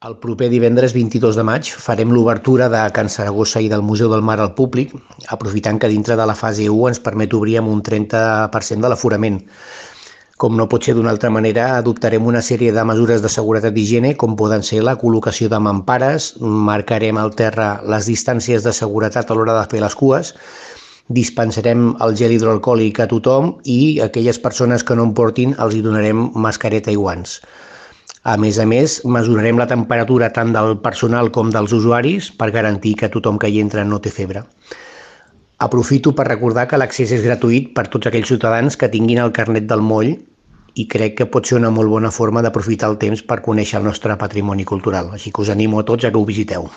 El proper divendres 22 de maig farem l'obertura de Can Saragossa i del Museu del Mar al públic, aprofitant que dintre de la fase 1 ens permet obrir amb un 30% de l'aforament. Com no pot ser d'una altra manera, adoptarem una sèrie de mesures de seguretat i higiene, com poden ser la col·locació de mampares, marcarem al terra les distàncies de seguretat a l'hora de fer les cues, dispensarem el gel hidroalcohòlic a tothom i a aquelles persones que no en portin els hi donarem mascareta i guants. A més, mesurarem la temperatura tant del personal com dels usuaris per garantir que tothom que hi entra no té febre. Aprofito per recordar que l'accés és gratuït per tots aquells ciutadans que tinguin el carnet del moll i crec que pot ser una molt bona forma d'aprofitar el temps per conèixer el nostre patrimoni cultural. Així que us animo a tots a que ho visiteu.